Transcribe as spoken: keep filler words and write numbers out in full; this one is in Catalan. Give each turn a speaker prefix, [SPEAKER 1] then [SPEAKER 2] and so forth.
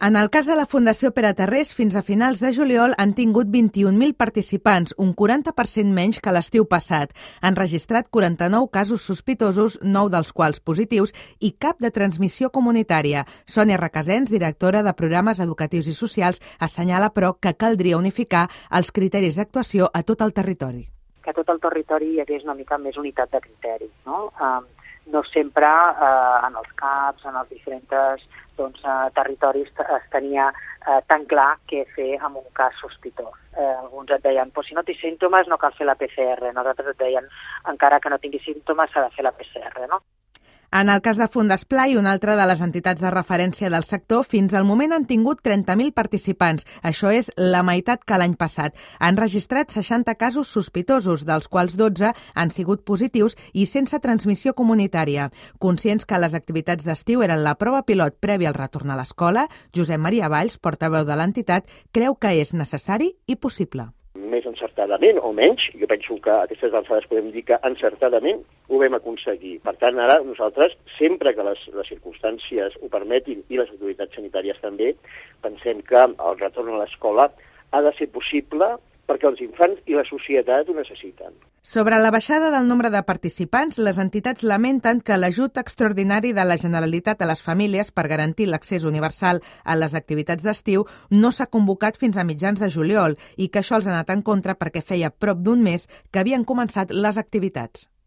[SPEAKER 1] En el cas de la Fundació Pere Tarrés, fins a finals de juliol han tingut vint-i-un mil participants, un quaranta per cent menys que l'estiu passat. Han registrat quaranta-nou casos sospitosos, nou dels quals positius, i cap de transmissió comunitària. Sònia Requesens, directora de Programes Educatius i Socials, assenyala, però, que caldria unificar els criteris d'actuació a tot el territori.
[SPEAKER 2] Que a tot el territori hi hagués una mica més unitat de criteri, no? Um, no sempre eh, en els C A Ps, en els diferents doncs, eh, territoris es tenia eh, tan clar què fer amb un cas sospitós. Eh, alguns et deien, pues, si no té símptomes no cal fer la P C R, nosaltres et deien, encara que no tingui símptomes s'ha de fer la P C R, no?
[SPEAKER 1] En el cas de Fundesplai, una altra de les entitats de referència del sector, fins al moment han tingut trenta mil participants. Això és la meitat que l'any passat. Han registrat seixanta casos sospitosos, dels quals dotze han sigut positius i sense transmissió comunitària. Conscients que les activitats d'estiu eren la prova pilot prèvia al retorn a l'escola, Josep Maria Valls, portaveu de l'entitat, creu que és necessari i possible.
[SPEAKER 3] Més encertadament o menys, jo penso que a aquestes alçades podem dir que encertadament ho vam aconseguir. Per tant, ara nosaltres, sempre que les, les circumstàncies ho permetin i les autoritats sanitàries també, pensem que el retorn a l'escola ha de ser possible perquè els infants i la societat ho necessiten.
[SPEAKER 1] Sobre la baixada del nombre de participants, les entitats lamenten que l'ajut extraordinari de la Generalitat a les famílies per garantir l'accés universal a les activitats d'estiu no s'ha convocat fins a mitjans de juliol i que això els ha anat en contra perquè feia prop d'un mes que havien començat les activitats.